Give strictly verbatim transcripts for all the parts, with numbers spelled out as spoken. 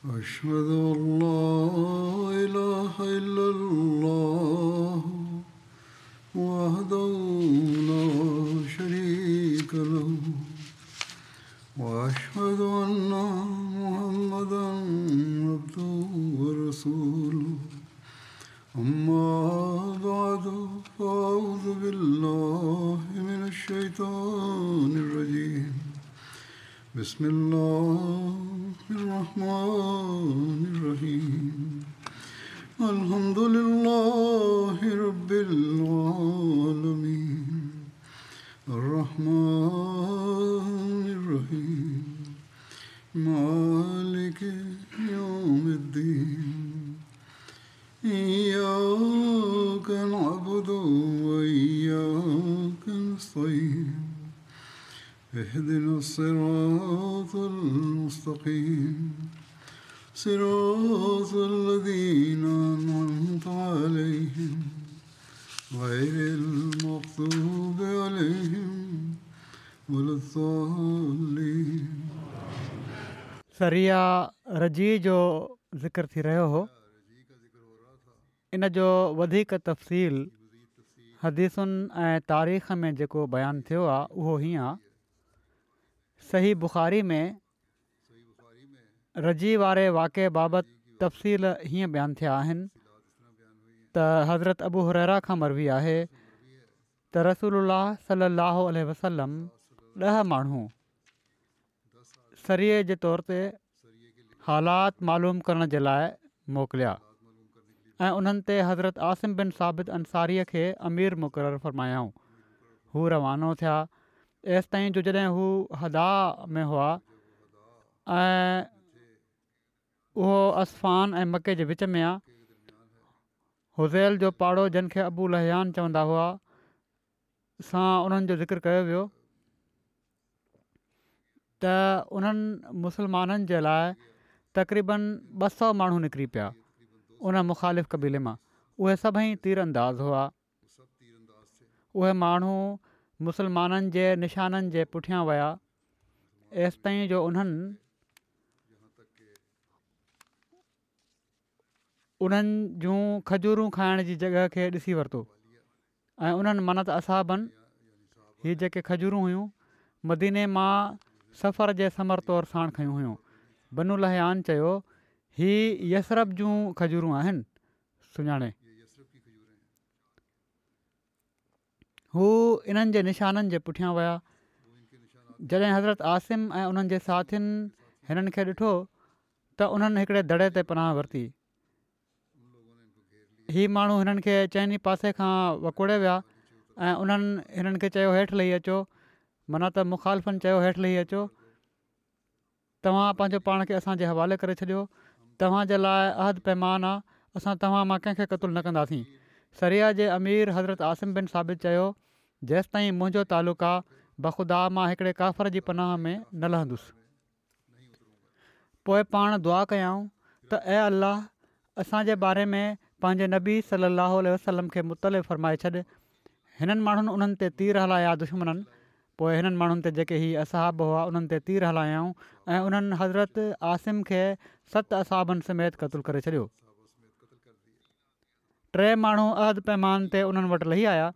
أشهد أن لا إله إلا الله وحده لا شريك له وأشهد أن محمدا عبده ورسوله. أما بعد، فأعوذ بالله من الشيطان الرجيم. بسم الله الرحمن الرحيم. الحمد لله رب العالمين الرحمن الرحيم مالك يوم الدين. إياك نعبد وإياك نستعين. اهدنا الصراط المستقيم صراط الذين أنعمت عليهم غير المغضوب عليهم ولا الضالين. سريه رجيع جو ذڪر ٿي رهيو هو. ان جو وڌيڪ تفصيل حديثن ۽ تاريخ ۾ جيڪو بيان ٿيو آهي اهو هيئن آهي. صحيح بخاري ۾ رجيع واري واقعي بابت تفصيل هيئن بيان ٿيا آهن ته حضرت ابو هريره کان مروي آهي ته رسول الله صلي الله عليه وسلم ڏهه ماڻهو سريي جي طور تي حالات معلوم ڪرڻ جي لاءِ موڪليا ۽ انهن تي حضرت عاصم بن ثابت انصاريءَ کي امير مقرر فرمايائون. هو روانو ٿيا ايستائين جو جڏهن هو حداء ۾ هئا ۽ اهو عسفان ۽ مڪي جي وچ ۾ آهي، هذيل جو پاڙو جن کي ابو لحيان چوندا هئا سان انهن جو ذڪر ڪيو ويو ته انهن مسلمانن جي لاءِ تقريبن ٻه سؤ ماڻهو نڪري پيا ان مخالف قبيلي مان. اهي سڀئي تير انداز هئا. اهي ماڻهو مسلمانن جي نشانن جي پٺيان ويا ايستائين جو انهن انهن جون کجورون کائڻ جي جڳهه کي ڏسي ورتو ۽ انهن معنيٰ ته اصحابن هي جيڪي کجورون هيون مديني مان سفر جي ثمر طور ساڻ کنيون هيون. بنو لحيان چيو هي يثرب جون کجورون آهن. سڃاڻي هو انهن جي نشانن جي پٺيان ويا. جڏهن حضرت عاصم ۽ انهن جي ساٿين هنن کي ڏٺو ته انهن هڪڙي دڙي تي پناهه ورتي. هي ماڻهو هنن کي چئني پاسي کان وڪوڙي ويا ۽ انهن هنن کي چيو هيٺ لهي اچو، معنيٰ ته مخالفن چيو هيٺ لهي اچو، توهان پنهنجو پاڻ کي اسان جي حوالي ڪري ڇڏيو، توهان جي لاءِ عهد پيمان آهي، اسان توهان مان ڪنهن کي قتل نه ڪنداسين. سريه جي امير حضرت عاصم بن ثابت چيو جيستائين منهنجو تعلق آهي بخدا مان هڪڙي ڪافر جي پناهه ۾ نه لهندس. پوءِ پاڻ دعا ڪيائون ته اي الله اسان جي باري ۾ پنهنجي نبي صلي الله عليه وسلم کي مطلع فرمائي ڇڏ. هنن ماڻهن انهن تي تير هلايا دشمنن. پوءِ هنن ماڻهن تي جيڪي هي اصحاب هئا انهن تي تير هلايائون ۽ انهن حضرت عاصم کي ست اصحابن سميت قتل ڪري ڇڏيو. ٽي ماڻهو عهد پيمان تي انهن وٽ لهي آيا.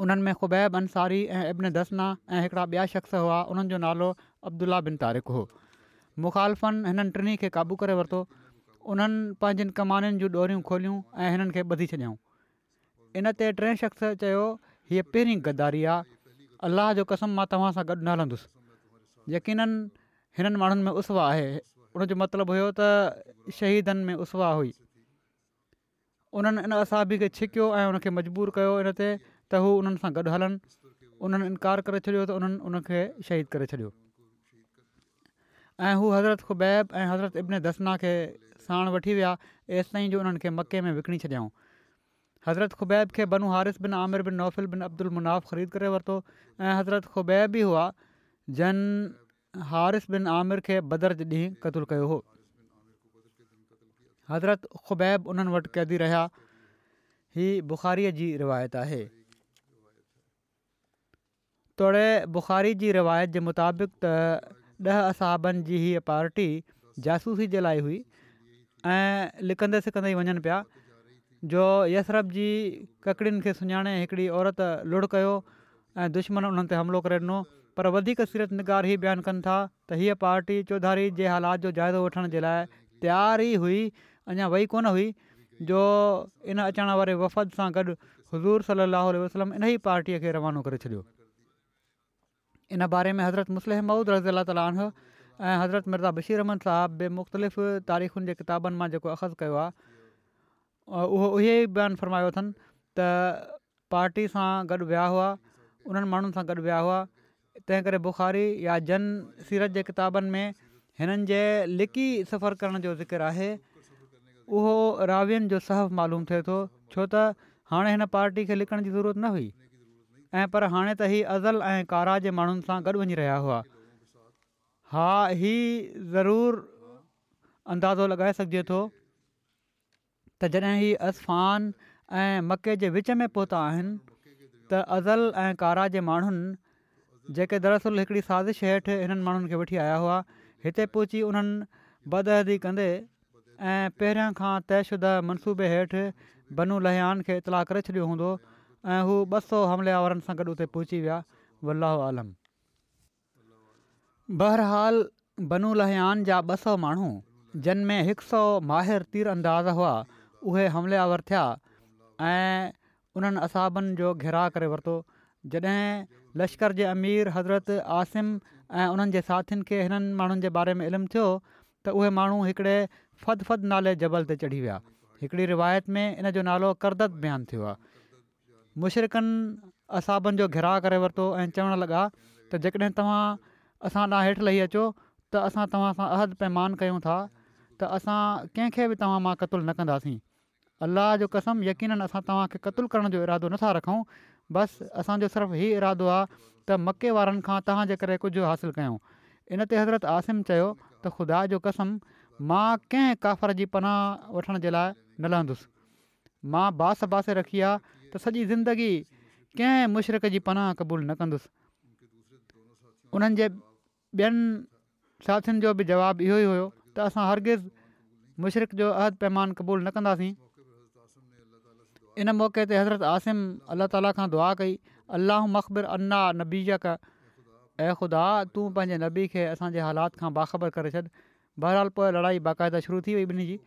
انهن ۾ خبيب انصاري ۽ ابن دثنه ۽ هڪڙا ٻيا شخص هئا، انهن جو نالو عبدالله بن طارق هو. مخالفن هنن ٽنهي کي قابو ڪري ورتو. انهن پنهنجين ڪمانين جون ڏوريون کوليون ۽ هنن کي ٻڌي ڇڏيائون. ان تي ٽئين شخص چيو هيءَ پهرين غداري آهي، الله جو قسم مان توهان سان گڏ نه هلندس. يقينن هنن ماڻهن ۾ اسوه آهي. ان جو مطلب هيو ته شهيدن ۾ اسوه هئي. انهن ان اصحابي کي ڇڪيو ۽ ان کي مجبور ڪيو ان تي ته هو انهن سان گڏ هلن. انهن انڪار ڪري ڇڏيو ته انهن ان کي شهيد ڪري ڇڏيو ۽ هو حضرت خبيب ۽ حضرت ابن دثنه کي ساڻ وٺي ويا ايستائين جو انهن کي مڪي ۾ وڪڻي ڇڏيائون. حضرت خبيب کي بنو حارث بن عامر بن نوفل بن عبد المناف خريد ڪري ورتو ۽ حضرت خبيب ئي هئا جن حارث بن عامر کي بدر جي ڏينهن قتل ڪيو هو. حضرت خبيب انهن وٽ قيدي رهيا. هي بخاريءَ جي روايت آهي. توڙي بخاري جي روايت جي مطابق ته ڏهه اصحابن جي هيءَ پارٽي جاسوسي جي لاءِ هئي ۽ لڪندي سڪندي ئي وڃن پيا جو يثرب جي ڪڪڙين کي سڃاڻي هڪڙي عورت لڙ ڪيو ۽ دشمن انهن تي حملو ڪري ڏنو. پر وڌيڪ سيرت نگار هي بيان ڪن ٿا ته هيء پارٽي چوڌاري جي حالات جو جائزو وٺڻ جي لاءِ تيار ئي هئي، اڃا وئي ڪونه هئي جو ان اچڻ واري وفد سان گڏ حضور صلي الله عليه وسلم انهي پارٽيء کي روانو ڪري ڇڏيو. ان باري ۾ حضرت مصلح موعود رضي الله تعالٰي عنه ۽ حضرت مرزا بشير احمد صاحب به مختلف تاريخن جي ڪتابن مان جيڪو اخذ ڪيو آهي اهو اهي ئي بيان فرمايو اٿن ته پارٽي سان گڏ ويا هئا، انهن ماڻهن سان گڏ ويا هئا. تنهن ڪري بخاري يا جن سيرت جي ڪتابن ۾ هنن جي لڪي سفر ڪرڻ جو ذڪر آهي اهو راوين جو سهو معلوم ٿئي ٿو، ڇو ته هاڻي هن پارٽي کي لڪڻ جي ضرورت نه هئي ۽ پر هاڻي ته هي عضل ۽ قاره جي ماڻهن سان گڏ وڃي رهيا هئا. ها هي ضرور اندازو لڳائي سگهجي ٿو ته جڏهن هي عسفان ۽ مڪي جي وچ ۾ پهتا آهن ته عضل ۽ قاره جي ماڻهن، جيڪي دراصل هڪڙي سازش هيٺ هنن ماڻهن کي وٺي آيا هئا، هتي پهچي انهن بدعهدي ڪندي ۽ پهريان کان طئي شده منصوبي هيٺ بنو لحيان کي اطلاع ڪري ڇڏيو هوندو ۽ هو ٻه سؤ حملي آورن سان گڏ اتي پهچي ويا. والله اعلم. بهرحال بنو لحيان جا ٻه سؤ ماڻهو، جن ۾ هڪ سؤ ماهر تير انداز هئا، اهي حملي آور ٿيا ۽ انهن اصحابن جو گهيراء ڪري ورتو. جڏهن لشڪر جي امير حضرت عاصم ۽ انهن جي ساٿين کي هنن ماڻهن جي باري ۾ علم ٿيو ته اهي ماڻهو هڪڙي فدفد نالي جبل تي چڙهي ويا. هڪڙي روايت ۾ ان جو نالو ڪردد بيان ٿيو آهي. مشرڪن اصحابن جو گهيراء ڪري ورتو ۽ چوڻ لڳا ته جيڪڏهن توهان اسان ڏانهن هيٺ لهي اچو ته اسان توهان سان عهد پيمان ڪيون ٿا ته اسان ڪنهن کي به توهان مان قتل نه ڪنداسين. الله جو قسم يقيناً اسان توهان کي قتل ڪرڻ جو ارادو نٿا رکون، بس اسان جو صرف هي ارادو آ ته مڪي وارن کان توهان جي ڪري ڪجهه حاصل ڪيون. ان تي حضرت عاصم چيو ته خدا جو قسم مان ڪنهن ڪافر جي پناهه وٺڻ جي لاء نه لهندس. مان باس باسي رکي آ ته سڄي زندگي ڪنهن مشرڪ جي پناهه قبول نه ڪندس. انهن جي ٻين ساٿين جو به جواب اهو ئي هيو ته اسان هرگز مشرڪ جو عهد پيمان قبول نه ڪنداسين. ان موقعي تي حضرت عاصم الله تعالي کان دعا ڪئي، اللهم اخبر عنا نبيڪ، اي خدا تون پنهنجي نبي کي اسان جي حالات کان باخبر ڪري ڇڏ. بهرحال پوء لڙائي باقاعده شروع ٿي وئي ٻنهي جي.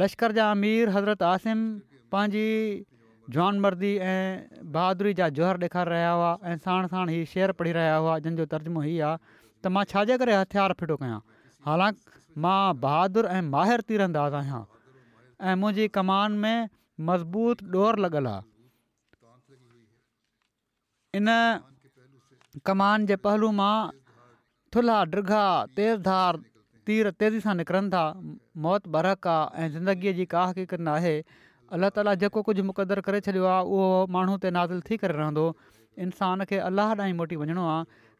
لشڪر جا امير حضرت عاصم پنهنجي جوانمردي ۽ بهادري جا جوهر ڏيکاري رهيا هئا ۽ ساڻ ساڻ هي شعر پڙهي رهيا هئا جن جو ترجمو هي آ ته مان ڇا جي ڪري هٿيار ڦٽو ڪيان حالانڪ مان بهادر ۽ ماهر تيرانداز آهيان ۽ منهنجي ڪمان ۾ مضبوط ڏور لڳل آ. ان ڪمان جي پهلو مان ٿلها ڊگها تيز ڌار تير تيزي سان نڪرن ٿا. موت برحق آ ۽ زندگيء جي ڪا حقيقت ناهي. الله تعاليٰ جيڪو ڪجهه مقدر ڪري ڇڏيو آ اهو ماڻهو تي نازل ٿي ڪري رهندو. انسان کي الله ڏانهن ئي موٽي وڃڻو آ.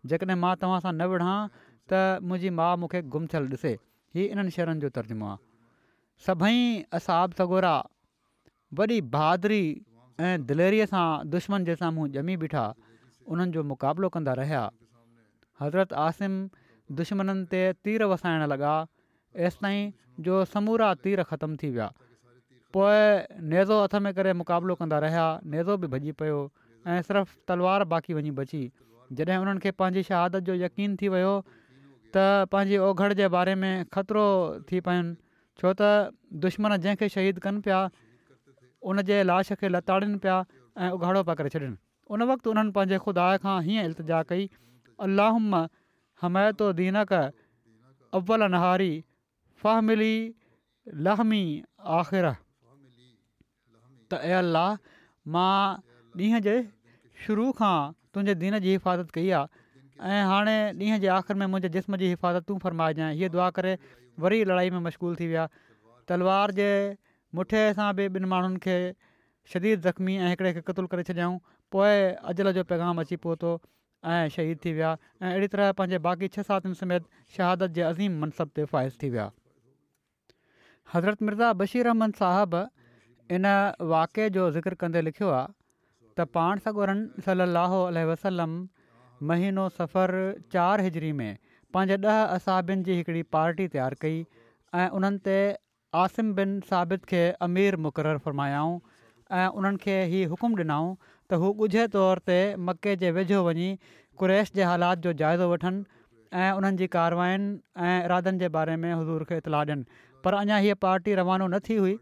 جيڪڏهن مان توهان سان نه وڙهان ته منهنجي ماء مون کي گم ٿيل ڏسي. هي انهن شعرن جو ترجمو آ. سڀئي اصحاب سڳورا وڏي بهادري ۽ دليريء سان دشمن جي سامهون ڄمي بيٺا، انهن جو مقابلو ڪندا رهيا. حضرت عاصم دشمنن تي تير وسائڻ لڳا، ايستائين جو سمورا تير ختم ٿي ويا. پوء نيزو هٿ ۾ ڪري مقابلو ڪندا رهيا، نيزو به ڀڄي پيو ۽ صرف تلوار باقي وڃي بچي. جڏهن انهن کي پنهنجي شهادت جو يقين ٿي ويو ته پنهنجي اوگهڙ جي باري ۾ خطرو ٿي پين، ڇو ته دشمن جنهن کي شهيد ڪن پيا ان جي لاش کي لتاڙين پيا ۽ اگهاڙو پيا ڪري ڇڏين. ان وقت انهن پنهنجي خدا کان هيئن التجا ڪئي، اللهم حميت دينڪ اول نهاري فاحم لي لحمي آخره. ته اي الله! مان ڏينهن جي شروع کان تنهنجي دين جي حفاظت ڪئي آهي ۽ هاڻي ڏينهن جي آخر ۾ منهنجي جسم جي حفاظت تون فرمائجانء هيء دعا ڪري وري لڙائي ۾ مشغول ٿي ويا. تلوار جي مٺي سان به ٻن ماڻهن کي شديد زخمي ۽ هڪڙي کي قتل ڪري ڇڏيائون. پوء اجل جو پيغام اچي پهتو ۽ شهيد ٿي ويا ۽ اهڙي طرح پنهنجي باقي ڇهه ساٿين سميت شهادت جي عظيم منصب تي فائز ٿي ويا. حضرت مرزا بشير احمد صاحب ان واقعي جو ذڪر ڪندي لکيو آهي ته پاڻ سڳورن صلّي اللّٰه عليه وسلّم مهينو صفر چار هجري ۾ پنهنجي ڏهه اصحابين جي هڪڙي پارٽي تيار ڪئي ۽ انهن تي عاصم بن ثابت کي امير مقرر فرمايائون ۽ انهن کي هي حڪم ڏنائون ته هو ڳجهي طور تي مڪي جي ويجهو وڃي قريش جي حالات جو جائزو وٺن ۽ انهن جي ڪارواين ۽ ارادن جي باري ۾ حضور کي اطلاع ڏين. پر اڃا هيء پارٽي روانو نه ٿي هئي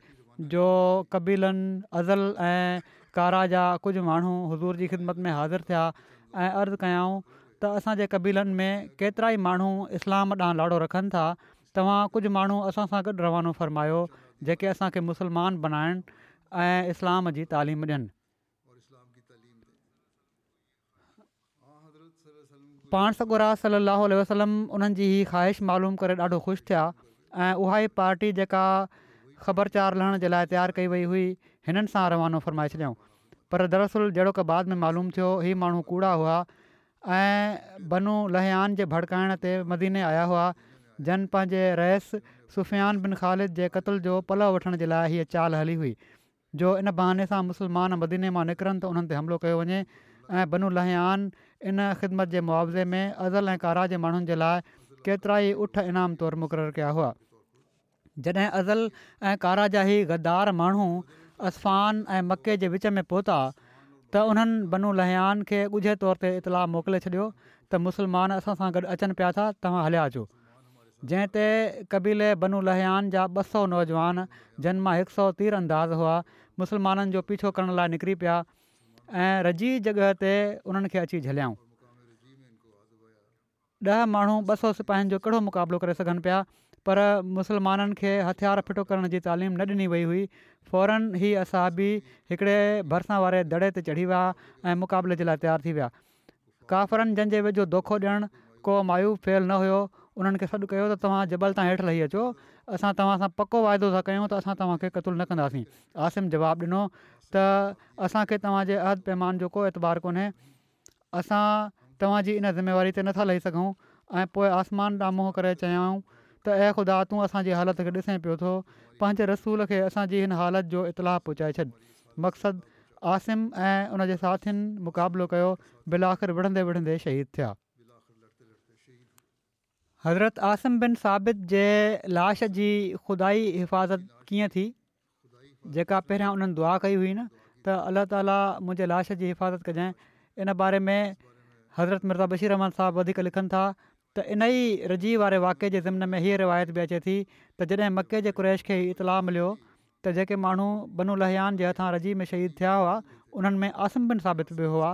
جو قبيلن عضل ۽ قاره جا ڪجهه ماڻهو حضور جي خدمت ۾ حاضر ٿيا ۽ عرض ڪيائون ته اسان جي قبيلن ۾ ڪيترائي ماڻهو اسلام ڏانهن لاڙو رکن ٿا، توهان ڪجهه ماڻهو اسان سان گڏ روانو فرمايو جيڪي اسان کي مسلمان بنائن ۽ اسلام جي تعليم ڏين. پاڻ سڳورا صلي الله عليه وسلم انهن جي هي خواهش معلوم ڪري ڏاڍو خوش ٿيا ۽ اها ئي پارٽي جيڪا خبرچار لهڻ جي لاء تيار ڪئي وئي هئي هنن سان روانو فرمائي ڇڏيائون. پر دراصل جهڙوڪ بعد ۾ معلوم ٿيو هي ماڻهو ڪوڙا هئا ۽ بنو لحيان جي ڀڙڪائڻ تي مديني آيا هئا جن پنهنجي رئيس سفيان بن خالد جي قتل جو پلئه وٺڻ جي لاء هيء چال هلي هئي جو ان بهاني سان مسلمان مديني مان نڪرن ته انهن تي حملو ڪيو وڃي ۽ بنو لحيان ان خدمت جي معاوضي ۾ عضل ۽ قاره جي ماڻهن جي لاء ڪيترائي اٺ انعام طور مقرر ڪيا هئا. جڏهن عضل ۽ قاره جا هي غدار ماڻهو عسفان ۽ مڪي جي وچ ۾ پهتا ته انهن بنو لحيان کي ڳجهي طور تي اطلاع موڪلي ڇڏيو ته مسلمان اسان سان گڏ اچن پيا ٿا توهان هليا اچو. جنهن تي قبيلي بنو لحيان جا ٻه سؤ نوجوان جن مان هڪ سؤ تير انداز هئا مسلمانن جو پيڇو ڪرڻ لاء نڪري پيا ۽ رجيع جڳهه تي انهن کي اچي جهليائون. ڏهه ماڻهو ٻه سؤ سپاهين جو ڪهڙو مقابلو ڪري سگهن پيا پر مسلمانن کي هٿيار ڦٽو ڪرڻ جي تعليم نه ڏني وئي هئي. فوراً هي اصحابي هڪڙي ڀرسان واري دڙي تي چڙهي ويا ۽ مقابلي جي لاء تيار ٿي ويا. ڪافرن جن جي ويجهو دوکو ڏيڻ ڪو معيوب فعل نه هيو، انهن کي سڏ ڪيو ته توهان جبل تان هيٺ لهي اچو، اسان توهان سان پڪو واعدو ٿا ڪيون ته اسان توهان کي قتل نه ڪنداسين. عاصم جواب ڏنو ته اسان کي توهان جي عهد پيمان جو ڪو اعتبار ڪونهي، اسان توهان جي ان ذميواري تي نٿا لهي سگهون ۽ پوء آسمان ڏانهن منهن ڪري چيائون ته اي خدا تون اسان جي حالت کي ڏسين پيو ٿو، پنهنجي رسول کي اسان جي هن حالت جو اطلاع پهچائي ڇڏ. مقصد عاصم ۽ ان جي ساٿين مقابلو ڪيو بالآخر وڙهندي وڙهندي شهيد ٿيا. حضرت عاصم بن ثابت جي لاش جي خدائي حفاظت ڪيئن ٿي جيڪا پهريان انهن دعا ڪئي هئي نه ته الله تعالي منهنجي لاش جي حفاظت ڪجانء ان باري ۾ حضرت مرزا بشير احمد صاحب وڌيڪ لکن ٿا ته ان ئي رجيع واري واقعي جي ضمن ۾ هيء روايت به اچي ٿي ته جڏهن مڪي جي قريش کي هي اطلاع مليو ته جيڪي ماڻهو بنو لحيان جي هٿان رجيع ۾ شهيد ٿيا هئا انهن ۾ عاصم بن ثابت به هئا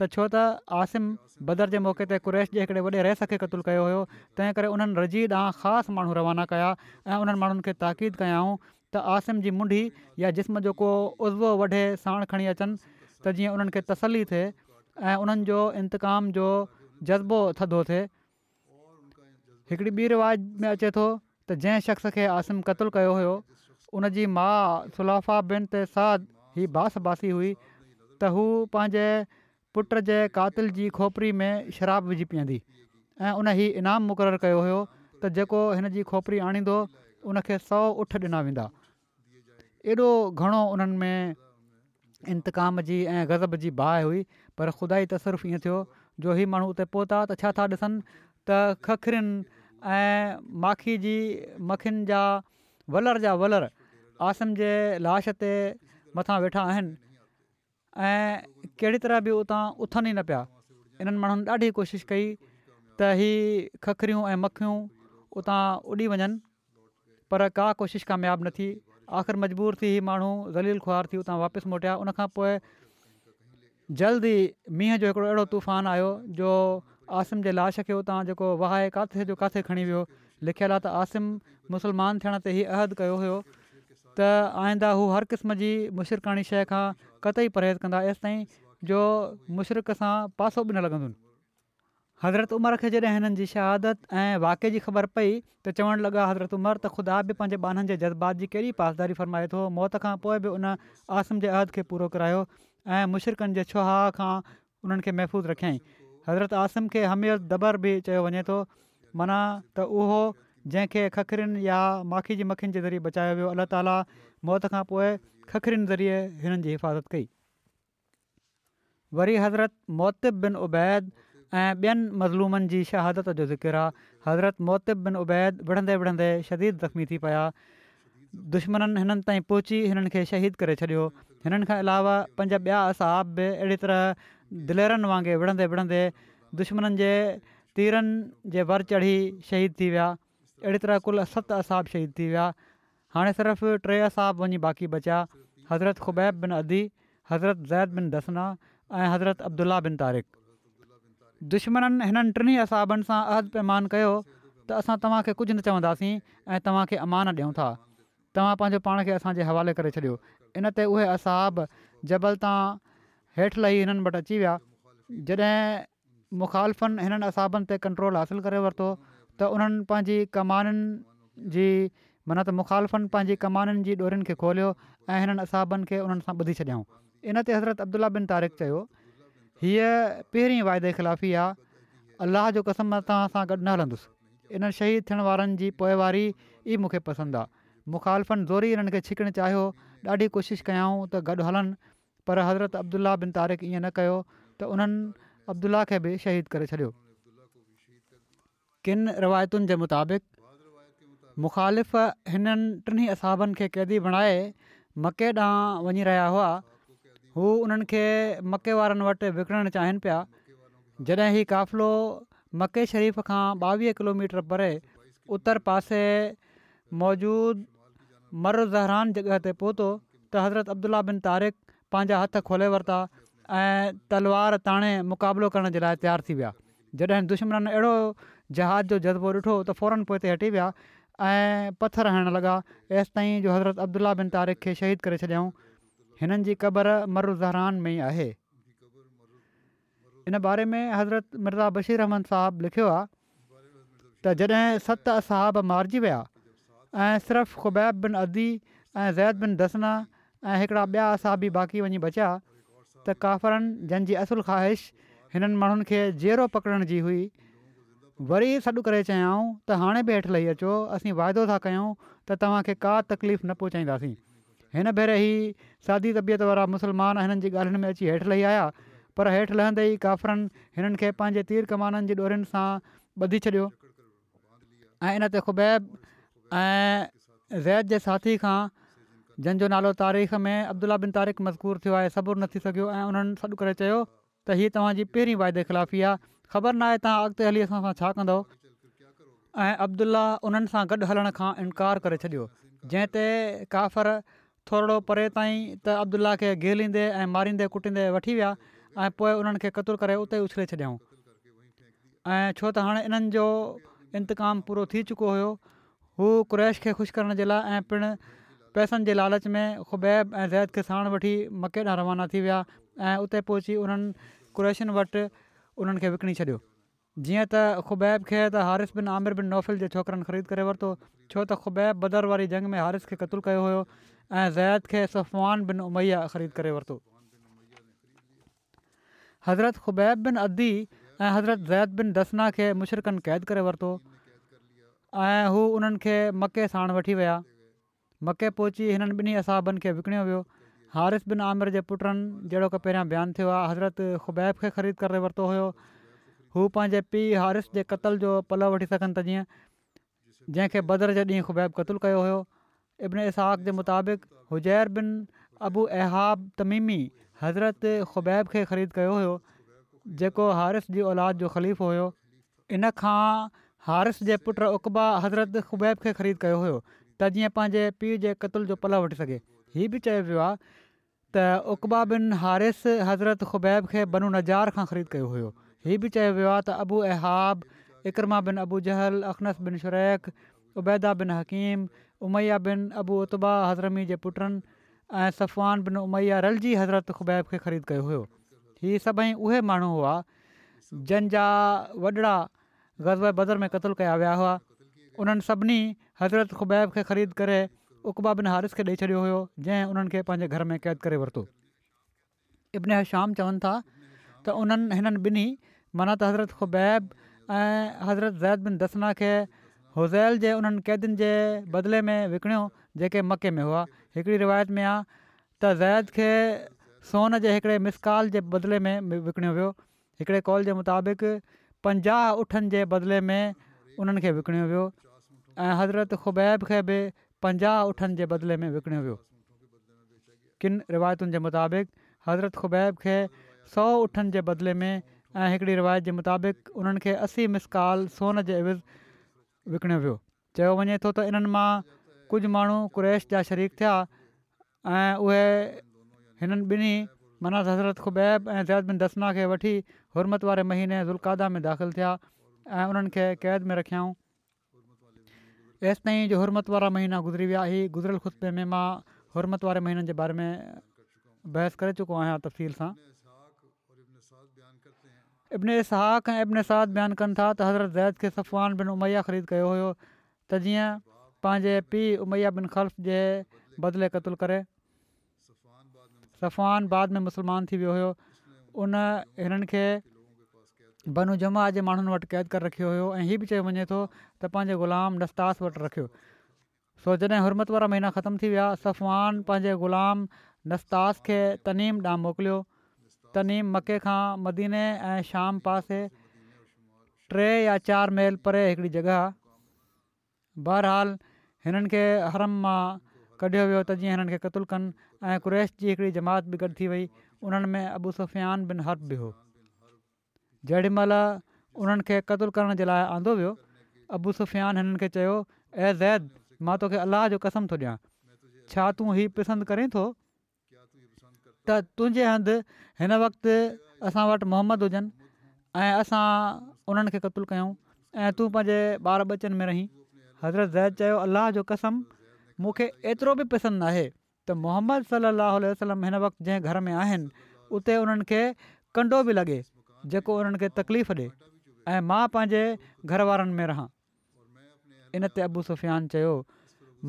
ته ڇو ته عاصم بدر جي موقعي تي قريش جي هڪڙي وڏي رئيس کي قتل ڪيو هيو تنهن ڪري انهن رجيع ڏانهن خاص ماڻهو روانا ڪيا ۽ انهن ماڻهن کي تاڪيد ڪيائون ته عاصم جي منڍي يا جسم جو ڪو عضوو وڍي ساڻ کڻي اچن ته جيئن انهن کي تسلي ٿئي ۽ انهن جو انتقام جو جذبو ٿڌو ٿئي. هڪڙي ٻي روايت ۾ اچي ٿو ته جنهن شخص کي عاصم قتل ڪيو هيو ان جي ماء سلافه بنت سعد هي باس باسي هئي ته هو پنهنجي پٽ جي قاتل جي کوپري ۾ شراب وجهي پيئندي ۽ ان هي انعام مقرر ڪيو هيو ته جيڪو هن جي کوپري آڻيندو ان کي سؤ اٺ ڏنا ويندا. ايڏو گهڻو انهن ۾ انتقام جي ۽ غضب جي باهه هئي پر خدائي تصرف ائين ٿيو جو هي ماڻهو اتي پهتا ته ڇا ٿا ڏسن ته ککرين ۽ ماکي جي مکين جا ولر جا ولر عاصم جي لاش تي مٿان ويٺا آهن ۽ ڪهڙي طرح به اتان اٿن ئي نه پيا. انهن ماڻهن ڏاڍي ڪوشش ڪئي ته هي ککريون ۽ مکيون اتان اڏي وڃن پر ڪا ڪوشش ڪامياب نه ٿي. آخر مجبور ٿي هي ماڻهو ذليل خوار ٿي اتان واپس موٽيا. ان کان پوء جلد ئي مينهن جو هڪڙو اهڙو طوفان آيو جو عاصم جي لاش کي اتان جيڪو وهائي ڪاٿي جو ڪاٿي کڻي ويو. لکيل آهي ته عاصم مسلمان ٿيڻ تي هي عهد ڪيو هيو ته آئنده هو هر قسم جي مشرڪاڻي شيء کان قطعي پرهيز ڪندا ايستائين جو مشرڪ سان پاسو به نه لڳندن. حضرت عمر کي جڏهن هنن جي شهادت ۽ واقعي جي خبر پئي ته چوڻ لڳا حضرت عمر ته خدا به پنهنجي ٻانهن جي جذبات جي ڪيڏي پاسداري فرمائي ٿو موت کان پوء به ان عاصم جي عهد کي پورو ڪرايو ۽ مشرڪن جي ڇهاء کان انهن کي محفوظ رکيائين. حضرت عاصم کي حمي الدبر به چيو وڃي ٿو، معنيٰ ته اهو جنهن کي ککرين يا ماکي جي مکين جي ذريعي بچايو ويو، الله تعاليٰ موت کان پوء ککرين ذريعي هنن جي حفاظت ڪئي. وري حضرت معتب بن عبيد ۽ ٻين مظلومن جي شهادت جو ذڪر آ، حضرت معتب بن عبيد وڙهندي وڙهندي شديد زخمي ٿي پيا. دشمنن هنن تائين پهچي هنن کي شهيد ڪري ڇڏيو. هنن کان علاوه پنج ٻيا اصحاب به اهڙي طرح دليرن وانگي وڙهندي وڙهندي دشمنن جي تيرن جي ور چڙهي شهيد ٿي ويا. اهڙي طرح ڪل ست اصحاب شهيد ٿي ويا. هاڻي صرف ٽي اصحاب وڃي باقي بچيا، حضرت خبيب بن عدي، حضرت زيد بن دثنه ۽ حضرت عبدالله بن طارق. دشمنن هنن ٽنهي اصحابن سان عهد پيمان ڪيو ته اسان توهان کي ڪجهه نه چونداسين ۽ توهان کي امان ڏيون ٿا، توهان پنهنجو پاڻ کي اسان جي حوالي ڪري ڇڏيو. ان تي اهي اصحاب جبل تان هيٺ لهي هنن وٽ اچي ويا. جڏهن مخالفن هنن اصحابن تي ڪنٽرول حاصل ڪري ورتو ته انهن پنهنجي ڪمانن جي معنيٰ ته مخالفن پنهنجي ڪمانن جي ڏورين کي کوليو ۽ هنن اصحابن کي انهن سان ٻڌي ڇڏيائون. ان تي حضرت عبدالله بن طارق چيو، هيء پهرين واعدي خلافي آ، الله جو قسم مان توهان سان گڏ نه هلندس. انهن شهيد ٿيڻ وارن جي پوئواري ئي مون کي پسند آ. مخالفن زوري انهن کي ڇڪڻ چاهيو، ڏاڍي ڪوشش ڪيائون ته گڏ هلن، پر حضرت عبدالله بن طارق ائين نه ڪيو ته انهن عبدالله کي به شهيد ڪري ڇڏيو. ڪن روايتن جي مطابق مخالف هنن ٽنهي اصحابن کي قيدي بڻائي مڪي ڏانهن وڃي رهيا هئا. هو انهن کي مڪي وارن وٽ وڪڻڻ چاهين پيا. جڏهن هي قافلو مڪي شريف کان ٻاويهه ڪلوميٽر پري اتر پاسي موجود مر ظهران جڳهه تي پهتو ته حضرت عبدالله بن طارق پنهنجا هٿ کولي ورتا ۽ تلوار تاڻي مقابلو ڪرڻ جي لاء تيار ٿي ويا. جڏهن دشمنن اهڙو جهاد جو جذبو ڏٺو ته فوراً پوئتي هٽي ويا ۽ پٿر هڻڻ لڳا، ايستائين جو حضرت عبدالله بن طارق کي شهيد ڪري ڇڏيائون. هنن جي قبر مر ظهران ۾ ئي آهي. ان باري ۾ حضرت مرزا بشير احمد صاحب لکيو آهي ته جڏهن ست اصحاب مارجي ويا ۽ صرف خبيب بن عدي ۽ زيد بن دثنه ۽ هڪڙا ٻيا اصحابي باقي وڃي بچيا ته ڪافرن جن جي اصل خواهش هنن ماڻهن کي جيئرو پڪڙڻ جي هئي وري سڏ ڪري چيائون ته هاڻي به هيٺ لهي اچو، اسين واعدو ٿا ڪيون ته توهان کي ڪا تڪليف نه پهچائينداسين. هن ڀيري هي سادي طبيعت وارا مسلمان هنن جي ڳالهين ۾ اچي هيٺ لهي آيا، پر هيٺ لهندي ئي ڪافرن هنن کي پنهنجي تير ڪمانن جي ڏورين سان ٻڌي ڇڏيو ۽ ان تي خبيب ۽ زيد جي ساٿي کان، جن جو نالو تاريخ ۾ عبدالله بن طارق مذڪور ٿيو آهي، صبر نه ٿي سگهيو ۽ انهن سڏ ڪري چيو ته هي توهان جي پهرين واعدي خلافي آهي، خبر ناهي توهان اڳتي هلي اسان سان ڇا ڪندؤ. ۽ عبدالله انهن سان گڏ هلڻ کان انڪار ڪري ڇڏيو، جنهن تي ڪافر ٿورڙو پري تائين ته عبدالله کي گهليندي ۽ ماريندي ڪٽيندي وٺي ويا ۽ پوء انهن کي قتل ڪري اتي ئي اڇلي ڇڏيائون ۽ ڇو ته هاڻي انهن جو انتقام پورو ٿي چڪو هيو. هو قريش کي خوش ڪرڻ جي لاء ۽ پڻ پئسن جي لالچ ۾ خبيب ۽ زيد کي ساڻ وٺي مڪي ڏانهن روانا ٿي ويا ۽ اتي پهچي انهن قريشن وٽ انهن کي وڪڻي ڇڏيو. جيئن ته خبيب کي ته حارث بن عامر بن نوفل جي ڇوڪرن خريد ڪري ورتو، ڇو ته خبيب بدر واري جنگ ۾ حارث کي قتل ڪيو هيو ۽ زيد کي صفوان بن اميه خريد ڪري ورتو. حضرت خبيب بن عدي ۽ حضرت زيد بن دثنه کي مشرڪن قيد ڪري ورتو ۽ هو انهن کي مڪي ساڻ وٺي ويا. مڪي پهچي هنن ٻنهي اصحابن کي وڪڻيو ويو. حارث بن عامر جي پٽن جهڙوڪ پهريان بيان ٿيو آهي حضرت خبيب کي خريد ڪري ورتو هيو. هو پنهنجي پيء حارث جي قتل جو پلئه وٺي سگهن ته جيئن جنهن کي بدر جي ڏينهن خبيب قتل ڪيو هيو. ابن اسحاق جي مطابق هجير بن ابو اهاب تميمي حضرت خبيب کي خريد ڪيو هيو جيڪو حارث جي اولاد جو خليفو هيو. ان کان حارث جي پٽ عقبه حضرت خبيب کي خريد ڪيو هيو ته جيئن پنهنجي پيء جي قتل جو پلئه وٺي سگهي. هي به چيو ويو آهي ته عقبه بن حارث حضرت خبيب کي بنو نجار کان خريد ڪيو هيو. هي به چيو ويو آهي ته ابو اهاب، عڪرمه بن ابو جهل، اخنس بن شريق، عبيده بن حڪيم، اميه بن ابو عتبه حضرمي جي پٽن ۽ صفوان بن اميه رلجي حضرت خبيب کي خريد ڪيو هيو. هي سڀئي اهي ماڻهو هئا جن جا وڏڙا غزوه بدر ۾ قتل ڪيا ويا هئا، انهن سڀني حضرت خبيب کي خريد ڪري عقبه بن حارث کي ڏئي ڇڏيو هيو، جنهن انهن کي پنهنجي گهر ۾ قيد ڪري ورتو. ابن هشام چون ٿا ته انهن هنن ٻنهي معنيٰ ته حضرت خبيب ۽ حضرت زيد بن دثنه کي هذيل جي انهن قيدين جي بدلي ۾ وڪڻيو جيڪي مڪي ۾ هئا. هڪڙي روايت ۾ آ ته زيد کي سون جي هڪڙي مثقال جي بدلي ۾ وڪڻيو ويو. هڪڙي قول جي مطابق پنجاهه اٺن جي بدلي ۾ انهن کي وڪڻيو ويو ۽ حضرت خبيب کي به پنجاهه اٺن جي بدلي ۾ وڪڻيو ويو. ڪن روايتن جي مطابق حضرت خبيب کي سؤ اٺن جي بدلي ۾ ۽ هڪڙي روايت جي مطابق انهن کي اسي مثقال سون جي عيوض وڪڻيو ويو. چيو وڃي ٿو ته انهن مان ڪجهه ماڻهو قريش جا شريڪ ٿيا ۽ اهي هنن ٻنهي معنيٰ حضرت خبيب ۽ زيد بن دثنه کي وٺي حرمت واري مهيني ذوالقعده ۾ داخل ٿيا ۽ انهن کي قيد ۾ رکيائون ايستائين جو حرمت وارا مهينا گذري ويا. هي گذريل خطبي ۾ مان حرمت واري مهينن جي باري ۾ بحث ڪري چڪو آهيان تفصيل سان. ابن اسحاق ۽ ابن سعد بيان ڪن ٿا ته حضرت زيد کي صفوان بن اميه خريد ڪيو هيو ته جيئن پنهنجي پيء اميه بن خلف جي بدلي قتل ڪري. صفوان بعد ۾ مسلمان ٿي ويو هيو. ان هنن کي بنو جمح جي ماڻهن وٽ قيد ڪري رکيو هيو ۽ هي به چيو وڃي ٿو ته پنهنجي غلام نسطاس وٽ رکيو. سو جڏهن حرمت وارا مهينا ختم ٿي ويا، صفوان پنهنجي غلام نسطاس کي تنعيم ڏانهن موڪليو. تنعيم مڪي کان مديني ۽ شام پاسي ٽي يا چار ميل پري هڪڙي جڳهه آهي. بهرحال هنن کي حرم مان ڪڍيو ويو ته جيئن هنن کي قتل ڪن ۽ قريش جي هڪڙي جماعت به گڏ ٿي وئي، انهن ۾ ابو سفيان بن حرب به هو. جيڏي مهل انهن کي قتل ڪرڻ جي لاء آندو ويو، ابو سفيان هنن کي چيو، اي زيد! مان توکي الله جو قسم ٿو ڏيان، ڇا تون هي پسند ڪرين ٿو ته تنهنجي هنڌ هن وقت اسان وٽ محمد هجن ۽ اسان انهن کي قتل ڪيون ۽ تون پنهنجي ٻار ٻچن ۾ رهين؟ حضرت زيد چيو، الله جو قسم! مون کي ايترو به پسند ناهي ته محمد صلي الله عليه وسلم هن وقت جنهن گهر ۾ آهن اتي انهن کي ڪنڊو به لڳي جيڪو انهن کي تڪليف ڏي ۽ مان پنهنجي گهر وارن ۾ رهان. ان تي ابو سفيان چيو،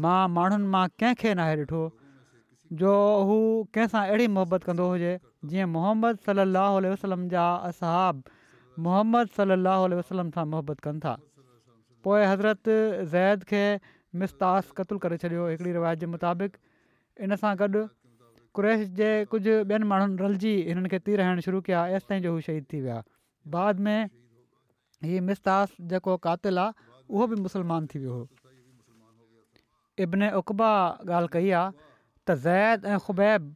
مان ماڻهن مان ڪنهن کي ناهي ڏٺو جو هو ڪنهن سان اهڙي محبت ڪندو هجي جيئن محمد صلي الله عليه وسلم جا اصحاب محمد صلي الله عليه وسلم سان محبت ڪن ٿا. پوء حضرت زيد کي مسطاس قتل ڪري ڇڏيو هڪڙي روايت جي مطابق ان سان گڏ قريش جي ڪجهه ٻين ماڻهن رلجي هنن کي تير هڻڻ شروع ڪيا ايستائين جو هو شهيد ٿي ويا بعد ۾ هي مسطاس جيڪو قاتل آ اهو به مسلمان ٿي ويو هو. ابن عقبه ڳالهه ڪئي آ ته زيد ۽ خبيب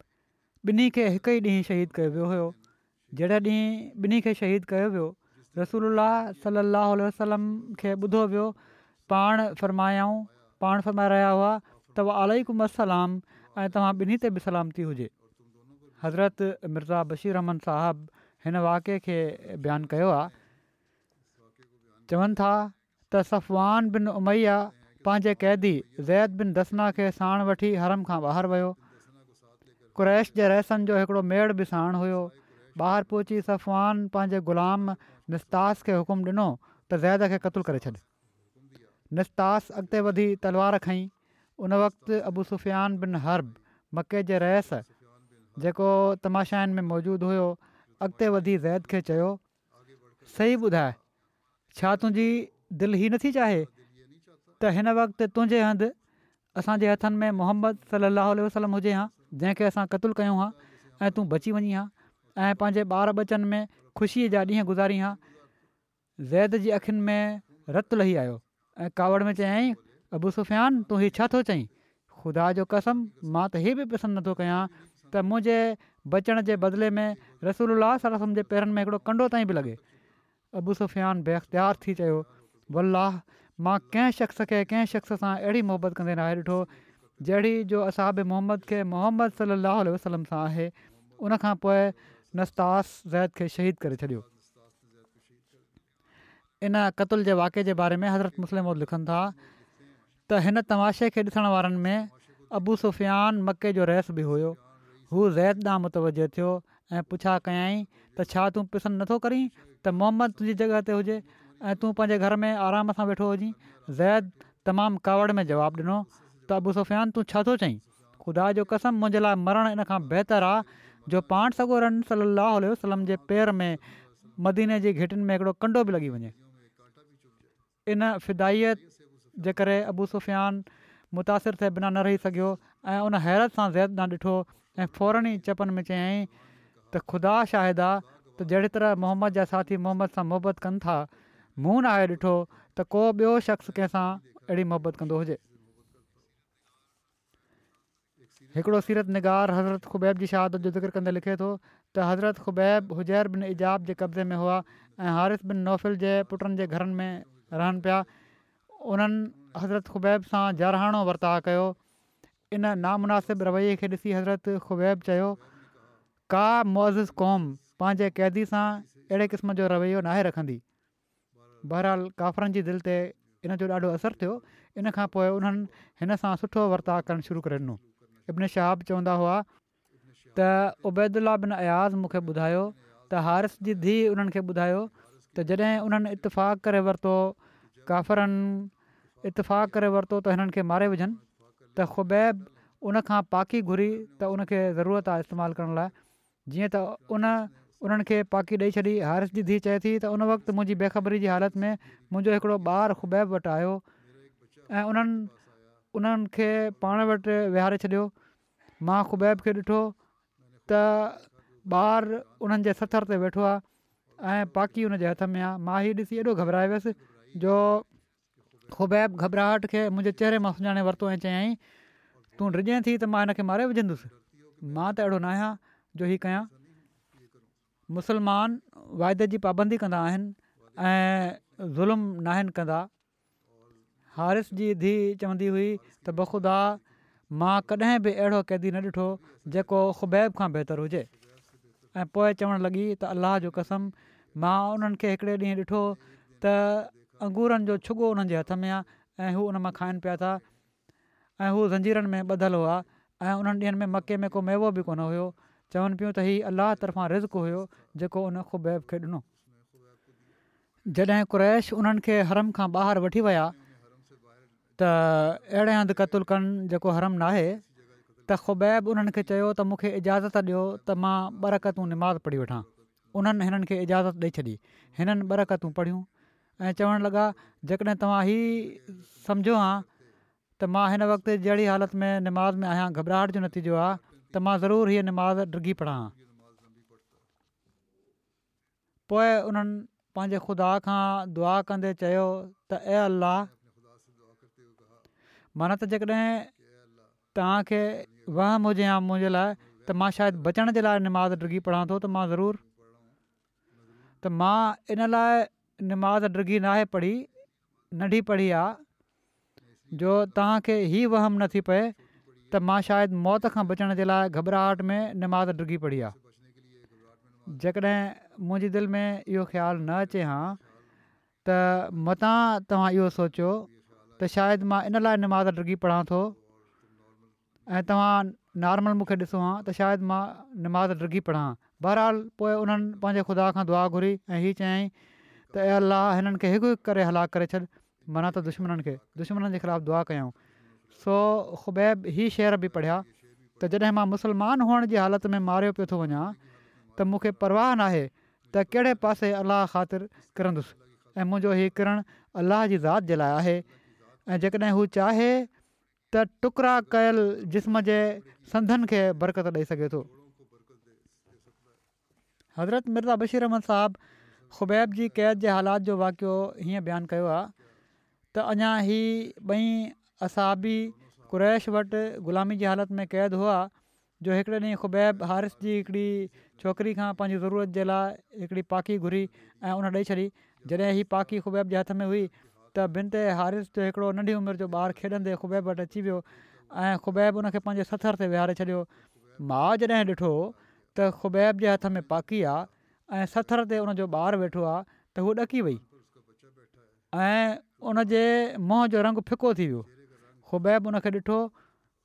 ٻنهي کي هڪ ئي ڏينهن شهيد ڪيو ويو هيو جهڙي ڏينهن ٻنهي کي شهيد ڪيو ويو، رسول الله صلي الله عليه وسلم کي ٻڌو ويو، پاڻ فرمايائون، پاڻ فرمائي رهيا هئا ته وعليڪم السلام ۽ توهان ٻنهي تي به سلامتي هجي. حضرت مرزا بشير احمد صاحب هن واقعي کي بيان ڪيو آهي، چون ٿا ته صفوان بن اميه پنهنجي قيدي زيد بن دثنه کي ساڻ وٺي حرم کان ٻاهر ويو. قريش جي رئيسن جو هڪڙو ميڙ به ساڻ هيو. ٻاهر پهچي صفوان پنهنجي غلام نسطاس کي حڪم ڏنو ته زيد کي قتل ڪري ڇڏ. نسطاس اڳتي وڌي تلوار کنئي. ان وقت ابو سفيان بن حرب مڪي جي رئيس جيڪو تماشائين ۾ موجود هيو اڳتي وڌي زيد کي چيو، صحيح ٻڌاء ڇا تنهنجي دل هي نٿي چاهي ته هن وقت تنهنجي هنڌ اسان جي هٿن ۾ محمد صلي الله عليه وسلم هجي ها جنهن کي اسان قتل ڪيون ها ۽ تون بچي وڃين ها ۽ پنهنجي ٻار ٻچن ۾ خوشيء جا ڏينهن گذارين ها. زيد جي اکين ۾ رت لهي آيو ۽ ڪاوڙ ۾ چيائين، ابو سفيان تون هي ڇا ٿو چئين؟ خدا جو قسم مان ته هي به پسند نٿو ڪيان ته منهنجي بچڻ جي بدلي ۾ رسول الله صلي الله عليه وسلم جي پيرن ۾ هڪڙو ڪنڊو تائين به لڳي. ابو سفيان بي اختيار ٿي چيو، والله مان ڪنهن شخص کي ڪنهن شخص سان اهڙي محبت ڪندي ناهي ڏٺو جهڙي جو اصحاب محمد کي محمد صلي الله عليه وسلم سان آهي. ان کان پوء نسطاس زيد کي شهيد ڪري ڇڏيو. ان قتل جي واقعي جي باري ۾ حضرت مصلح موعود لکن ٿا ته هن تماشي کي ڏسڻ وارن ۾ ابو سفيان مڪي جو رئيس به هيو. هو زيد ڏانهن متوجه ٿيو ۽ پڇا ڪيائين ته ڇا تون پسند نٿو ڪرين ته محمد تنهنجي جڳهه تي هجي ۽ تون پنهنجي گهر ۾ آرام سان ويٺو هجين؟ زيد تمام ڪاوڙ ۾ جواب ڏنو ته ابو سفيان تون ڇا ٿو چئين؟ خدا جو قسم منهنجي لاء مرڻ ان کان بهتر آ جو پاڻ سڳورن صلّي اللّٰه عليه وسلّم جي پير ۾ مديني جي گهٽين ۾ هڪڙو ڪنڊو به لڳي وڃي. ان فدائيت جي ڪري ابو سفيان متاثر ٿئي بنا نه رهي سگهيو ۽ ان حيرت سان زيد ڏانهن ڏٺو ۽ فورن ئي چپن ۾ چيائين ته خدا شاهد آ ته جهڙي طرح محمد جا ساٿي محمد سان محبت ڪن ٿا مون ناهي ڏٺو ته ڪو ٻيو شخص ڪنهن سان اهڙي محبت ڪندو هجي. هڪڙو سيرت نگار حضرت خبيب جي شهادت جو ذڪر ڪندي لکي ٿو ته حضرت خبيب حجير بن عجاب جي قبضي ۾ هئا ۽ حارث بن نوفل جي پٽن جي گهرن ۾ رهن پيا. انهن حضرت خبيب سان جارحاڻو ورتاء ڪيو. ان نامناسب رويي کي ڏسي حضرت خبيب چيو، ڪا معزز قوم پنهنجي قيدي سان اهڙي قسم جو رويو ناهي رکندي. بهرحال ڪافرن جي دل تي ان جو ڏاڍو اثر ٿيو. ان کان پوء انهن هن سان سٺو ورتاء ڪرڻ شروع ڪري ڏنو. ابن شهاب چوندا هئا ته عبيدالله بن اياز مون کي ٻڌايو ته حارث جي ڌيء انهن کي ٻڌايو ته جڏهن انهن اتفاق ڪري ورتو، ڪافرن اتفاق ڪري ورتو ته هنن کي ماري وجهن، ته خبيب ان کان پاڪي گهري ته ان کي ضرورت آهي استعمال ڪرڻ لاء. جيئن ته ان انهن کي پاڪي ڏئي ڇڏي. حارث جي ڌيء چئي ٿي ته ان وقت منهنجي بيخبري جي حالت ۾ منهنجو هڪڙو ٻار خبيب وٽ آيو ۽ انهن انهن کي پاڻ وٽ ويهاري ڇڏيو. مان خبيب کي ڏٺو ته ٻار انهن جي سٿر تي ويٺو آهي ۽ پاڪي ان جي هٿ ۾ آهي. مان هي ڏسي ايڏو گهٻرائي ويس جو خبيب گهٻراهٽ کي منهنجي چهري مان سڃاڻي ورتو ۽ چيائين، تون ڊڄين ٿي ته مان هن کي ماري وجهندس؟ مان ته اهڙو ناهيان جو هي ڪيان. مسلمان واعدي جي پابندي ڪندا آهن ۽ ظلم ناهن ڪندا. حارث جي ڌيء چوندي هئي ته بخدا مان ڪڏهن به اهڙو قيدي نه ڏٺو جيڪو خبيب کان بهتر هجي. ۽ پوء چوڻ لڳي ته الله جو قسم مان انهن کي هڪڙي ڏينهن ڏٺو ته انگورن جو ڇڳو انهن جي هٿ ۾ آ ۽ هو ان مان کائن پيا ٿا ۽ هو زنجيرن ۾ ٻڌل هئا ۽ انهن ڏينهن ۾ مڪي ۾ ڪو ميوو به ڪونه هيو. چون پيون ته هي الله طرفان رزق هيو جيڪو ان خبيب کي ڏنو. جڏهن قريش انهن کي حرم کان ٻاهر وٺي ويا ته اهڙي هنڌ قتل ڪن جيڪو حرم ناهي، ته خبيب انهن کي چيو ته مون کي اجازت ڏيو ته مان ٻه رڪعتون نماز پڙهي وٺان. انهن هنن کي اجازت ڏئي ڇڏي. هنن ٻه رڪعتون پڙهيون ۽ چوڻ لڳا، جيڪڏهن توهان هي سمجهو هان ته مان هن وقت جهڙي حالت ۾ نماز ۾ آهيان گهٻراهٽ جو نتيجو آهي ته مان ضرور هيء نماز ڊگهي پڙهان ها. پوء انهن پنهنجي خدا کان دعا ڪندي چيو ته اي الله! معنيٰ ته جيڪڏهن توهان کي وهم هجي ها منهنجي لاء ته مان شايد بچڻ جي لاء نماز ڊگهي پڙهان ٿو ته مان ضرور ته مان ان لاء نماز ڊگهي ناهي پڙهي ننڍي پڙهي آ جو توهان کي هي وهم نه ٿي پئي ته مان شايد موت کان بچڻ جي لاء گهٻراهٽ ۾ نماز ڊگهي پڙهي آ. جيڪڏهن منهنجي دل ۾ اهو خيال نه اچي هان ته متان توهان اهو سوچيو ته شايد مان ان لاء نماز ڊگهي پڙهان ٿو ۽ توهان نارمل مون کي ڏسو هان ته شايد مان نماز ڊگهي پڙهان. بهرحال پوء انهن پنهنجي خدا کان دعا گهري ۽ هي چيائين ته اي الله هنن کي هڪ هڪ ڪري هلاڪ ڪري ڇڏ معنيٰ ته دشمنن کي، دشمنن جي خلاف دعا ڪيائون. سو خبيب هي شعر به پڙهيا ته جڏهن مان مسلمان هئڻ جي حالت ۾ ماريو پيو ٿو وڃان ته مون کي پرواهه ناهي ته ڪهڙي پاسي الله خاطر ڪرندس ۽ منهنجو هي ڪرڻ الله جي ذات جي لاء آهي ۽ جيڪڏهن هو چاهي ته ٽڪرا ڪيل جسم جي سنڌن کي برڪت ڏئي سگهي ٿو. حضرت مرزا بشير احمد صاحب خبيب جي قيد جي حالات جو واقعو هيئن بيان ڪيو آهي ته اڃا هي ٻئي اصحابي قريش وٽ غلامي جي حالت ۾ قيد هئا جو هڪڙي ڏينهن خبيب حارث جي هڪڙي ڇوڪري کان پنهنجي ضرورت جي لاء هڪڙي پاڪي گهري ۽ ان ڏئي ڇڏي. جڏهن هي پاڪي خبيب جي هٿ ۾ هئي ته بنت حارث جو هڪڙو ننڍي عمر جو ٻار کيڏندي خبيب وٽ اچي ويو ۽ خبيب ان کي پنهنجي سٿر تي ويهاري ڇڏيو. ماء جڏهن ڏٺو ته خبيب جي هٿ ۾ پاڪي آ ۽ سٿر تي ان جو ٻار ويٺو آ ته هوء ڏڪي وئي ۽ ان جي منهن جو رنگ ڦڪو ٿي ويو. خبيب ان کي ڏٺو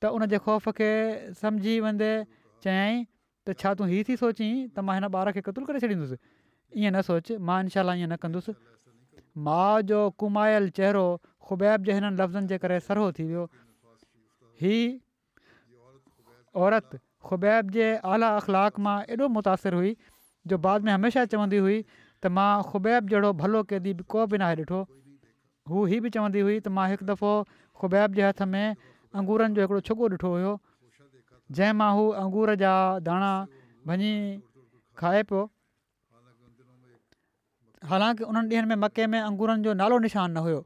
ته ان جي خوف کي سمجهي ويندي چيائين ته ڇا تون هي ٿي سوچين ته مان هن ٻار کي قتل ڪري ڇڏيندس؟ ائين نه سوچ، مان انشاء الله ائين نه ڪندس. ماء جو ڪومايل چهرو خبيب جي هنن لفظن جي ڪري سرهو ٿي ويو. هي عورت خبيب جي اعليٰ اخلاق مان ايڏو متاثر هئي جو بعد ۾ هميشه چوندي هئي ته مان خبيب جهڙو ڀلو قيدي ڪو به ناهي ڏٺو. هوء هي به چوندي هئي ته مان هڪ دفعو خبيب جي هٿ ۾ انگورن جو هڪڙو ڇڳو ڏٺو هيو جنهن مان هو انگور جا داڻا ڀڃي کائي پيو. حالانڪه انهن ڏينهن ۾ مڪي ۾ انگورن جو نالو نشان نه هيو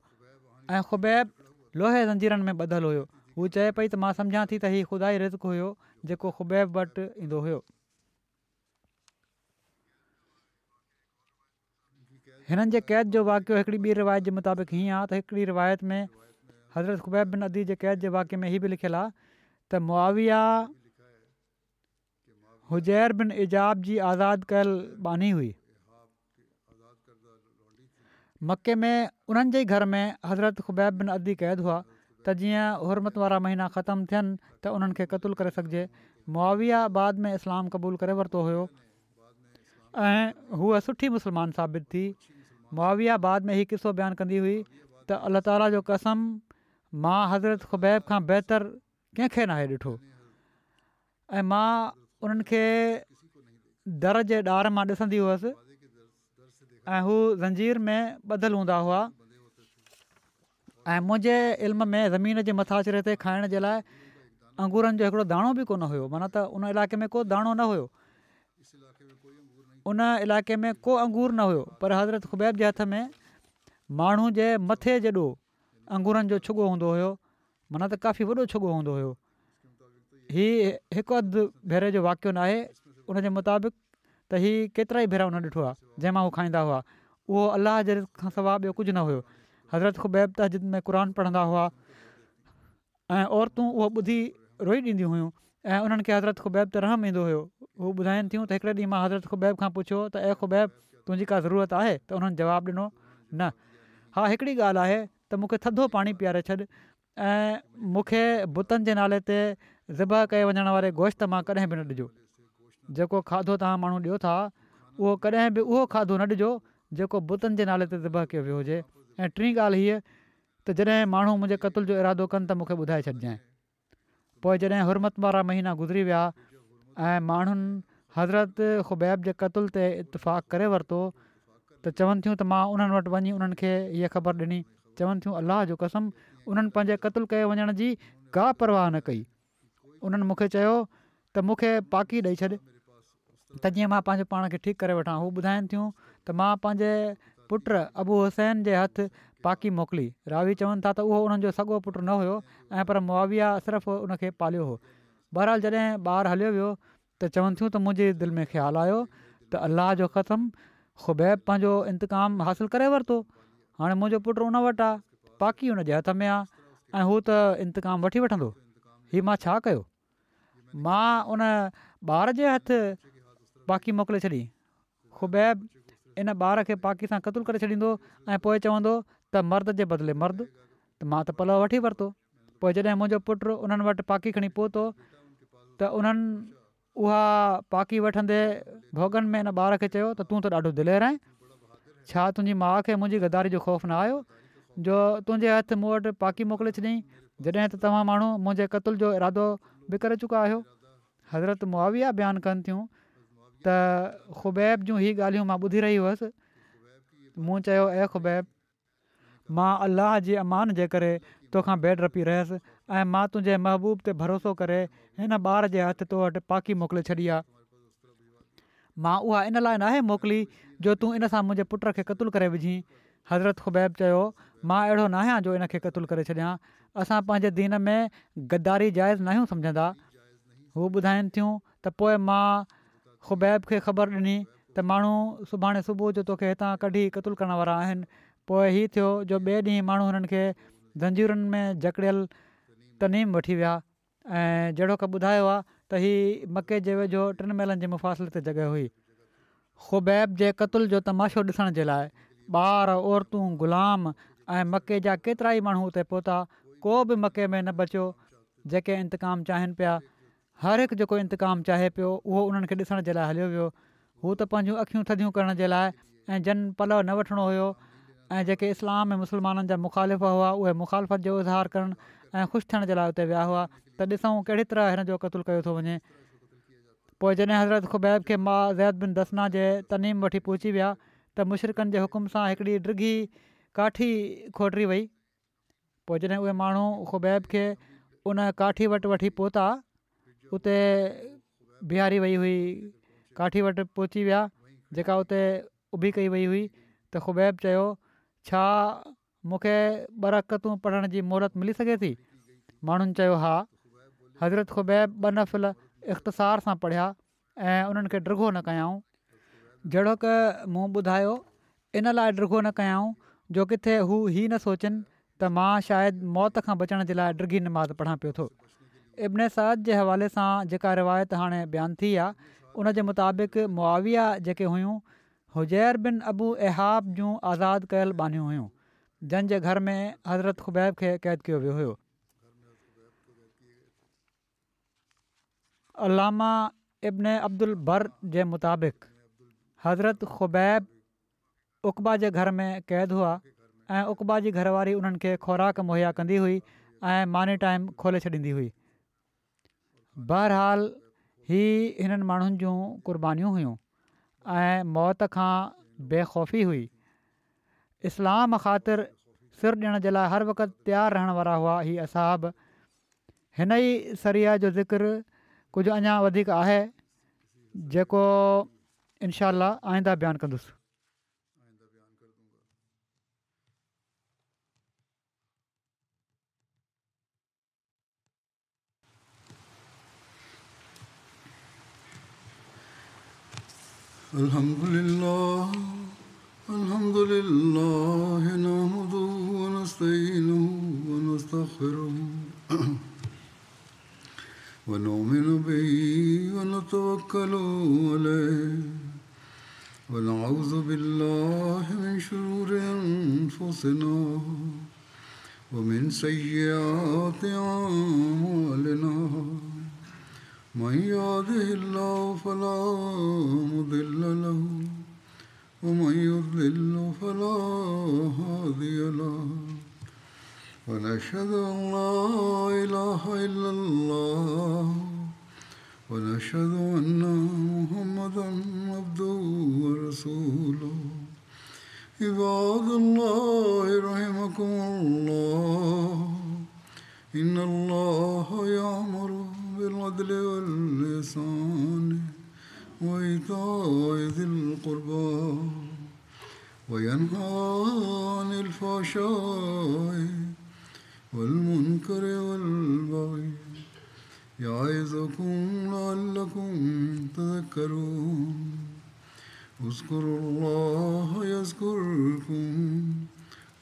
۽ خبيب لوهي زنجيرن ۾ ٻڌل هيو. هو چئي پئي ته مان سمجهان ٿي ته هي خدائي رزق هيو جيڪو خبيب وٽ ايندو هيو. هنن جي قيد جو واقعو هڪڙي ٻي روايت جي مطابق هيئن آهي ته هڪڙي روايت ۾ حضرت خبيب بن عدي جي قيد جي واقعي ۾ هي به لکيل آهي ته معاويه حجير بن اجاب جي آزاد ڪيل ٻانهي هئي. مڪي ۾ انهن جي ئي گهر ۾ حضرت خبيب بن عدي قيد هئا ته جيئن حرمت وارا مهينا ختم ٿين ته انهن کي قتل ڪري سگهجي. معاويه بعد ۾ اسلام قبول ڪري ورتو هيو ۽ هوء سٺي مسلمان ثابت ٿي. معاويه بعد ۾ هي قصو بيان ڪندي هئي ته الله تعاليٰ جو قسم مان حضرت خبيب کان بهتر ڪنهن کي ناهي ڏٺو ۽ مان انهن کي در جي ڏار مان ڏسندي هئس ۽ هو زنجير ۾ ٻڌل هوندا هئا ۽ منهنجي علم ۾ زمين جي مٿاڇري تي کائڻ جي لاء انگورن جو هڪڙو داڻو به ڪونه هيو، معنيٰ ته ان علائقي ۾ ڪو داڻو نه هيو، ان علائقي ۾ ڪو انگور نه هيو، پر حضرت خبيب جي هٿ ۾ ماڻهو جي مٿي جيڏو انگورن جو ڇڳو هوندو هيو، معنيٰ ته ڪافي وڏو ڇڳو هوندو هيو. هي هڪ اڌ ڀيري جو واقعو ناهي، ان جي مطابق ته هي ڪيترائي ڀيرا انهن ڏٺو آهي، جنهن مان هو کائيندا هئا، اهو الله جي رزق کان سواء ٻيو ڪجهه نه هيو. حضرت خبيب تهجد ۾ قرآن پڙهندا هئا ۽ عورتون اهو ٻڌي روئي ڏينديون هيون ۽ انهن کي حضرت خبيب تي رحم ايندو هيو. هو ٻڌائين ٿيون ته هڪڙي ڏينهن مان حضرت خبيب کان پڇيو ته اي خبيب تنهنجي ڪا ضرورت آهي ته انهن جواب ڏنو نه ها هڪڙي ڳالهه آهي ته مون کي ٿڌو پاڻي پياري ڇڏ ۽ مون کي بتن جي نالي تي ذبح ڪئي وڃڻ واري گوشت مان ڪڏهن به نه ڏجو. جيڪو کاڌو توهان ماڻهو ڏيو ٿا اهو ڪڏهن به اهو کاڌو نه ڏجو جيڪو بتن جي نالي تي ذبح ڪيو ويو هجي ۽ ٽين ڳالهه هيء ته جڏهن ماڻهو منهنجي قتل جو ارادو ڪن ته مون کي ٻڌائي ڇڏجانء. پوء جڏهن حرمت وارا مهينا گذري ويا ۽ ماڻهن حضرت خبيب جي قتل تي اتفاق ڪري ورتو ته چون ٿيون ته مان انهن وٽ وڃي انهن کي هيء خبر ڏني. چون ٿيون الله جو قسم انهن پنهنجي قتل ڪيي وڃڻ جي ڪا پرواهه نه ڪئي. انهن مون کي چيو ته مون کي پاڪي ڏئي ڇڏ ته جيئن مان پنهنجو پاڻ کي ٺيڪ ڪري وٺان. هو ٻڌائين ٿيون ته مان پنهنجي پٽ ابو حسين جي هٿ پاڪي موڪلي. راوي چون ٿا ته اهو انهن جو سڳو پٽ نه هيو ۽ پر معاويه صرف ان کي پاليو هو. بهرحال جڏهن ٻار هليو ويو ته چون ٿيون ته منهنجي دل ۾ خيال آيو ته الله جو قسم خبيب پنهنجو انتقام حاصل ڪري ورتو، هاڻي منهنجو پٽ ان وٽ آ، پاڪي ان جي هٿ ۾ آ ۽ هو ته انتقام وٺي وٺندو. هي مان ڇا ڪيو؟ مان ان ٻار جي هٿ پاڪي موڪلي ڇڏي. خبيب ان ٻار کي پاڪي سان قتل ڪري ڇڏيندو ۽ پوء چوندو ته مرد جي بدلي مرد ته مان ته پلئه وٺي ورتو. پوء جڏهن منهنجو پٽ انهن وٽ پاڪي کڻي پهتو ته انهن اها پاڪي وٺندي ڀوڳن ۾ ان ٻار کي چيو ته تون ته ڏاڍو دلير آهين. ڇا تنهنجي ماء کي منهنجي غداري جو خوف نه آيو جو تنهنجي هٿ مون وٽ پاڪي موڪلي ڇڏيائين جڏهن ته توهان ماڻهو منهنجي قتل جو ارادو به ڪري چڪا آهيو. حضرت معاويه بيان ڪن ٿيون ته خبيب جون هي ڳالهيون مان ٻڌي رهي هئس، مون چيو اي خبيب! مان الله جي امان جي ڪري توکان بي ڊپي رهيس ۽ مان تنهنجي محبوب تي ڀروسو ڪري هن ٻار جي هٿ تو وٽ پاڪي موڪلي ڇڏي آ. مان اها ان لاء ناهي موڪلي جو تون ان سان منهنجي پٽ کي قتل ڪري وجهين. حضرت خبيب چيو، مان اهڙو ناهيان جو ان کي قتل ڪري ڇڏيان. اسان پنهنجي دين ۾ غداري جائز ناهيون سمجهندا. هو ٻڌائين ٿيون ته پوء مان خبيب کي خبر ڏني ته ماڻهو سڀاڻي صبح جو توکي هتان ڪڍي قتل ڪرڻ وارا آهن. پوء هي ٿيو جو ٻئي ڏينهن ماڻهو هنن کي زنجيرن ۾ جڪڙيل تنعيم وٺي ويا ۽ جهڙوڪ ٻڌايو آهي ته هي مڪي جي ويجهو ٽن ميلن جي مفاصلي تي جڳهه هئي. خبيب جي قتل جو تماشو ڏسڻ جي لاء ٻار، عورتون، غلام ۽ مڪي جا ڪيترائي ماڻهو اتي پهتا، ڪو به مڪي ۾ نه بچيو جيڪي انتقام چاهين پيا. هر هڪ جيڪو انتقام چاهي پيو اهو انهن کي ڏسڻ جي لاء هليو ويو. هو ته پنهنجون اکيون ٿڌيون ڪرڻ جي لاء ۽ جن پلئه نه وٺڻو هيو ۽ جيڪي اسلام ۽ مسلمانن جا مخالف هئا اهي مخالفت جو اظهار ڪرڻ ۽ خوش ٿيڻ جي لاء اتي ويا هئا ته ڏسون ڪهڙي طرح هن جو قتل ڪيو ٿو وڃي. پوء جڏهن حضرت خبيب کي مع زيد بن دثنه جي تنعيم وٺي پهچي ويا ته مشرڪن جي حڪم سان هڪڙي ڊگهي ڪاٺي کوٽري وئي. پوء جڏهن اهي ماڻهو خبيب کي ان ڪاٺي وٽ وٺي پهتا، اتي بيهاري وئي هئي، ڪاٺي وٽ پهچي ويا، جيڪا اتي اڀي ڪئي وئي هئي ته خبيب چيو، ڇا مون کي ٻه رڪعتون پڙهڻ جي مهلت ملي سگهي ٿي؟ ماڻهن چيو، ها. حضرت خبيب ٻه نفل اختصار سان پڙهيا ۽ انهن کي ڊگهو نه ڪيائون. جهڙوڪ مون ٻڌايو، ان لاء ڊگهو نه ڪيائون جو ڪٿي هو هي نه سوچن ته مان شايد موت کان بچڻ جي لاء ڊگهي نماز پڙهان پيو ٿو. ابن سعد جي حوالي سان جيڪا روايت هاڻي بيان ٿي آ، ان جي مطابق معاويه جيڪي هيون، حجير بن ابو اهاب جون آزاد ڪيل ٻانهيون هيون، جن جي گهر ۾ حضرت خبيب کي قيد ڪيو ويو هيو. علامه ابن عبدالبر جي مطابق حضرت خبيب عقبه جي گهر ۾ قيد هئا ۽ عقبه جي گهر واري انهن کي خوراڪ مهيا ڪندي هئي ۽ ماني ٽائيم کولي ڇڏيندي هئي. بهرحال هي هنن ماڻهن جون قربانيون هيون ۽ موت کان بي خوفي هئي. اسلام خاطر سر ڏيڻ جي لاء هر وقت تيار رهڻ وارا هئا هي اصحاب. هن ئي سريه جو ذڪر ڪجهه اڃا وڌيڪ آهي جيڪو انشاء الله آئنده بيان ڪندس. الحمد لله الحمد لله نحمده ونستعينه ونستغفره ونؤمن به ونتوكل عليه ونعوذ بالله من شرور أنفسنا ومن سيئات أعمالنا من يهده الله فلا مضل له ومن يضلل فلا هادي له ونشهد أن لا إله إلا الله ونشهد أن محمدا عبده ورسوله. عباد الله رحمكم الله، إن الله يأمر بالعدل والإحسان وإيتاء ذي القربى وينهى عن الفحشاء والمنكر والبغي يعظكم لعلكم تذكرون. اذكروا الله يذكركم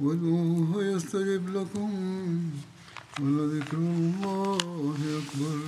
وادعوه يستجب لكم ولذكر الله أكبر.